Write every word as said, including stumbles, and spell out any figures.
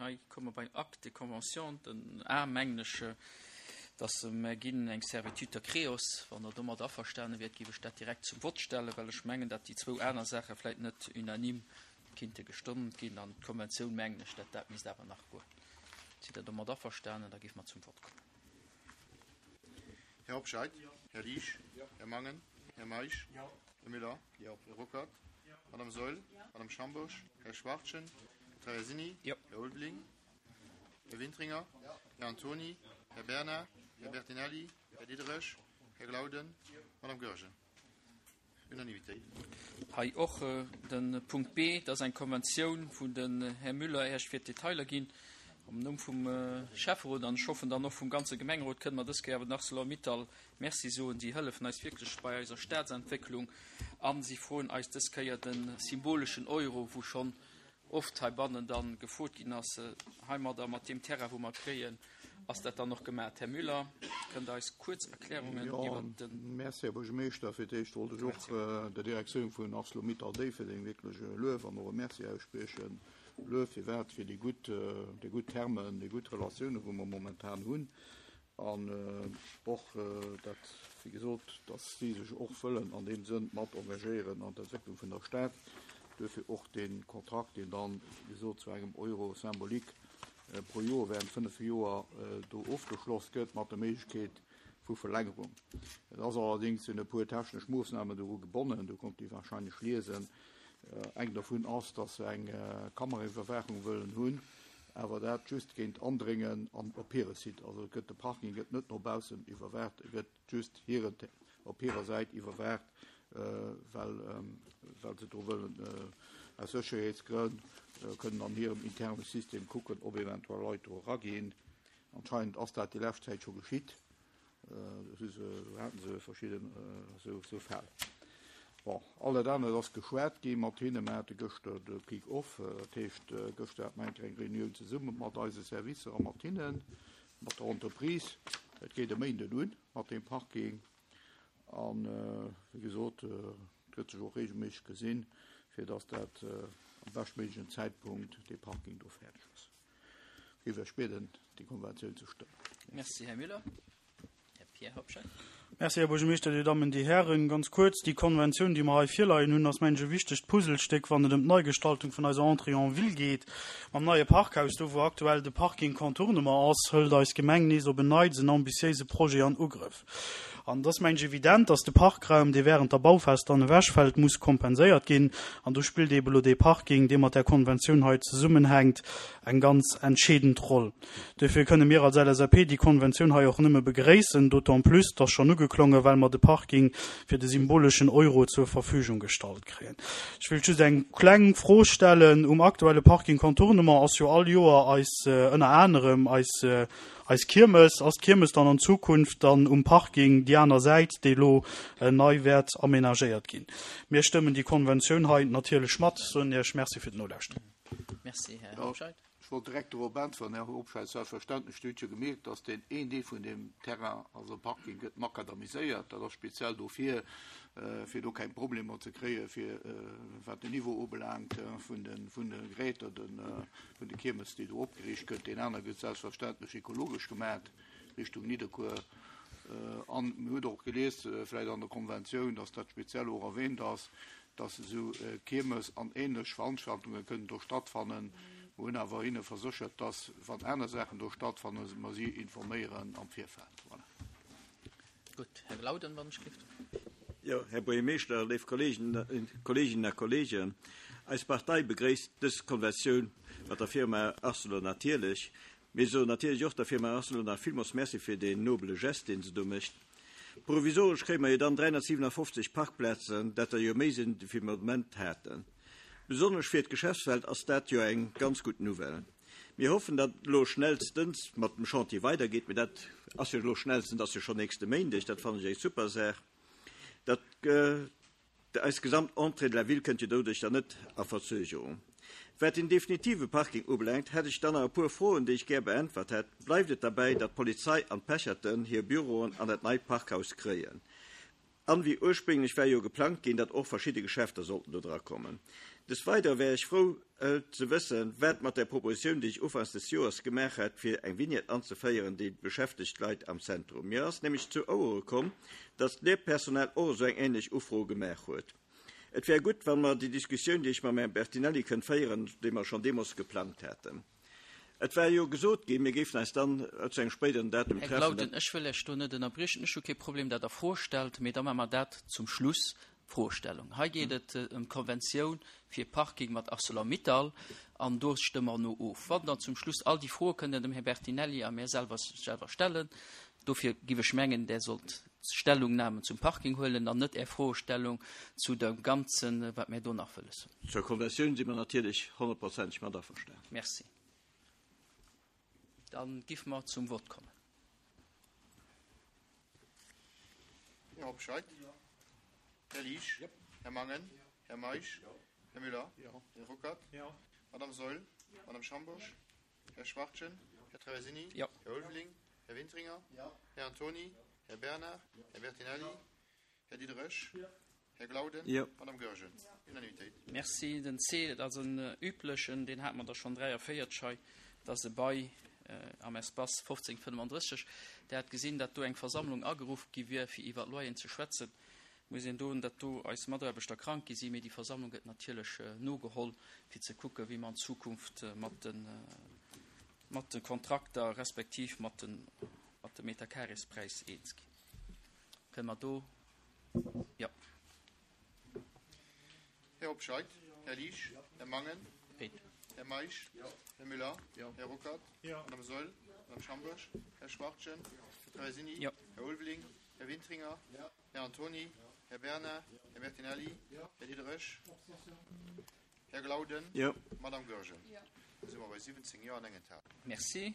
Hei komme mer beim Acte de convention, den A, mengen ech, dass mer ginn eng Servitude der Creos. Wann Der domat averstane wiert, géif ech dat direkt zum Vott stellen, well ech mengen, datt déi zwou aner Saache vläicht net unanime kinnte gestëmmt ginn. An d'Konventioun, mengen ech, dat dat misst awer nach goen. Sidd Der domat averstanen? Da géife mer zum Vott kommen. Här Hobscheit? Här Liesch? Här Mangen? Här Meisch? Här Müller? Här Ruckert? Madame Saeul? Madame Schambourg? Här Schwachtgen? Här Traversini? Här Ulveling? Här Wintringer? Här Antoni? Här Bernard? Här Bertinelli? Här Diderich? Här Glauden? Madame Goergen? Unanimitéit. Hei och de Punkt B, dat ass eng Konventioun, wou den Här Müller Iech fir d'Detailer ginn. Am Numm vum Schäfferot an ech hoffen dann och vum ganze Gemengerot kënne mer dës Kéier awer den Arcelor-Mittal Merci soen. Si hëllefen eis wierklech bei eiser Stadsentwécklung a si froen eis dës Kéier de symboleschen Euro, wou schonn oft heibannen da gefrot ginn ass. Heimadder, mat deem Terrain, wou mer kréien, ass dat dann och gemaach. Här Müller, kënnt Der eis kuerz Erklärungen iwwert de. Merci, Här Buergermeeschter. Fir d'éischt wollt ech och der Direktioun vun Arcelor-Mittal Déifferdeng wierklech e Luef an och e Merci ausspriechen. Luef firwat? Fir déi gutt, déi gutt Termen, déi gutt Relatiounen, wou mer momentan hunn. An och dat, wéi gesot, datt si sech och wëllen an deem Sënn mat engagéieren an d'Entwécklung vun der Stad. Duerfir och dee Kontrakt, deen dann, wéi gesot, zu engem Euro symbolique pro Joer während fënnef Joer do ofgeschloss gëtt, mat der Méiglechkeet vu Verlängerung. Et ass allerdéngs sinn e puer technesch Moossnamen doru gebonnen, do konnt Dir wahrscheinlech liesen. Eng dovun ass, dass se eng Kameraiwwerwaachung wëllen hunn, awer dat just géint Andréngen an op hire Site. Also et gëtt, de Parking gëtt net no baussen iwwerwaacht, e gëtt just hiren, op hirer Säit iwwerwaacht, well, well se do wëllen aus Sécherheetsgrënn kënnen an hirem interne System kucken, ob eventuell Leit do eraginn. Anscheinend ass dat déi lescht Zäit scho geschitt. Do haten se verschidden esou Fäll. Bon, all dat anert ass geschwat gi mat hinne. Mer hate gëschter de Kick-off, dat heescht, gëschter hate mer eng kleng Reunioun zesumme mat eise Servicer a mat hinnen, mat der Entreprise. Et geet e Méinden un mat deem Parking. An, wéi gesot, et gëtt sech och reegelméisseg gesinn, fir datt dat am beschtméiglechen Zäitpunkt dee Parking do fäerdeg ass. Géif ech bieden, déi Konventioun ze stëmmen. Merci, Här Müller. Här Pierre Hobscheit. Merci, Här Buergermeeschter, Dir Dammen, Dir Hären. Ganz kuerz, Déi Konventioun, déi mer hei virleien hunn, ass, mengen ech, e wichtegt Puzzlestéck, wann et ëm d'Neigestaltung vun eiser Entrée en ville geet. Mam neie Parkhaus, do wou aktuell de Parking Contournement ass, hëlt eis Gemeng nees op en Neits en ambitiéise Projet an Ugrëff. An et ass, mengen ech, evident, dass de Parkraum, dee während der Bauphas dann ewechfält, muss kompenséiert ginn. An do spillt eeben elo dee Parking, dee mat där Konventioun hei zesummenhänkt, eng ganz entscheedend Roll. Duerfir kënne mir als L S A P déi Konventioun hei och nëmme begréissen, d'autant plus, dass schonn ugeklongen, well mer de Parking fir de symboleschen Euro zur Verfügung gestallt kréien. Ech wëll just eng kleng Fro stellen. Um aktuelle Parking Contournement ass jo all Joer eis, ënner anerem eis, eis Kiermes. Ass d'Kiermes dann an Zukunft dann um Parking déi aner Säit, déi elo nei wäert amenagéiert ginn? Mir stëmmen déi Konventioun hei natierlech mat. Soen Iech Merci fir d'Nolauschteren. Merci, Här Hobscheit. Ech wollt direkt dorop äntweren, Här Hobscheit. Selbstverständlech, Dir hutt jo gemierkt, dass deen een Deel vun deem Terrain, also Parking, gëtt makadamiséiert. Dat ass speziell dofir, fir do keng Problemer ze kréien, fir wat den Niveau ubelaangt vun de, vun de Geräter, de, vun de Kiermes, déi do opgeriicht gëtt. Deen aner gëtt selbstverständlech ekologesch gemaat Richtung Nidderkuer. An mir hutt och gelies, vläicht an der Konventioun, dass dat speziell och erwähnt ass, dass esou Kiermes an ähnlech Veranstaltunge kënnen do stattfannen. Mir hunn awer hinne verséchert, dass, wann aner Saachen do stattfannen, mer si informéieren am Virfeld. Voilà. Gutt, Här Glauden, wann ech géif. Jo, Här Buergermeeschter, léif Kolleegen, Kolleeginnen a Kolleegen, eis Partei begréisst dës Konventioun mat der Firma Arcelor natierlech. Mir soen natierlech och der Firma Arcelor nach villmools Merci fir deen nobele Gest, deen se do mécht. Provisoresch kréie mer jo dann dräihonnertsiwenafoffzeg Parkplazen, dat der jo méi sinn, wéi mer de Moment haten. Besonnesch fir d'Geschäftswelt ass dat jo eng ganz gutt Nouvelle. Mir hoffen, datt et elo schnellstens mat dem Chantier weidergeet, mee dat ass jo elo schnellstens ass jo schonn nächste Méindeg, dat fannen ech eng super Saach. Dat eis gesamt Entrée de la ville kënnt jo doduerch dann net a Verzögerung. Wat den definitive Parking ubelaangt, hätt ech dann nach e puer Froen, déi ech gär beäntwert hätt. Bleift et derbäi, datt d'Polizei an d'Pecherten hir Büroen an dat neit Parkhaus kréien? An wéi ursprénglech war jo geplangt ginn, datt och verschidde Geschäfter sollten do dra kommen. Des Weidere wär ech frou ze wëssen, wat mat der Propositioun, déi ech ufanks des Joers gemaach hat, fir eng Vignette anzeféieren, déi beschäftegt d'Leit am Zentrum. Mir ass nämlech zu Ouere komm, datt d'Lehrpersonal och esou eng änlech Ufro gemaach huet. Et wär gutt, wa mer déi Diskussioun, déi ech mam Här Bertinelli kënnt féieren, déi mer schonn deemools geplangt haten. Et war jo gesot ginn, mir géifen eis dann zu engem spéideren Datum Här treffen. Glauden, ech wëll Iech do net ënnerbriechen. Ech hu kee Problem, datt Der Froe stellt, mee da maache mer dat zum Schluss, d'Froestellung. Hei geet et ëm d'Konventioun fir Parking mat Arcelor-Mittal an do stëmme mer no of. Wann Der zum Schluss all déi Froe kënnt Der dem Här Bertinelli a mir selwer selwer stellen. Dofir giff ech mengen, Der sollt Stellungnahmen zum Parking huelen an net Är Froestellung zu dem Ganzen, wat mir do nach wëlles hunn. Zur Konventioun si mer natierlech honnertprozenteg mat averstanen. Merci. Dann giff mer zum Vott kommen. Här Hobscheit. Här Liesch. Här Mangen. Här Meisch. Här Müller. Här Ruckert. Madame Saeul. Madame Schambourg. Här Schwachtgen. Här Traversini. Här Ulveling. Här Wintringer. Här Antoni. Här Bernard. Här Bertinelli. Här Diderich. Här Glauden. Madame Goergen. Unanimitéit. Merci. Den C, dat ass en üblechen, deen hate mer der schonn dräiavéierteg hei, dat ass e Bail am Espace fofzéng fënnefandrësseg. Der hat gesinn, datt do eng Versammlung ageruff gi wier, fir iwwer d'Loyeren ze schwätzen. Muss een doen, datt do eis Mataarbechter krank gi sinn, mee déi Versammlung gëtt natierlech nogeholl, fir ze kucken, wéi mer an Zukunft mat de, mat de Kontrakter respektiv mat de, mat de Meterkarespräis eens ginn. Kënne mer do, jo. Här Hobscheit, Här Liesch, Här Mangen, Här Meisch, Här Müller, Här Ruckert, Madame Saeul, Madame Schambourg, Här Schwachtgen, Här Traversini, Här Ulveling, Här Wintringer, Här Antoni, Här Bernard, Här Bertinelli, Här Diderich, Här Glauden, Madame Goergen. Da si mer bei siwwenzéng Jo an eng Enthalung. Merci.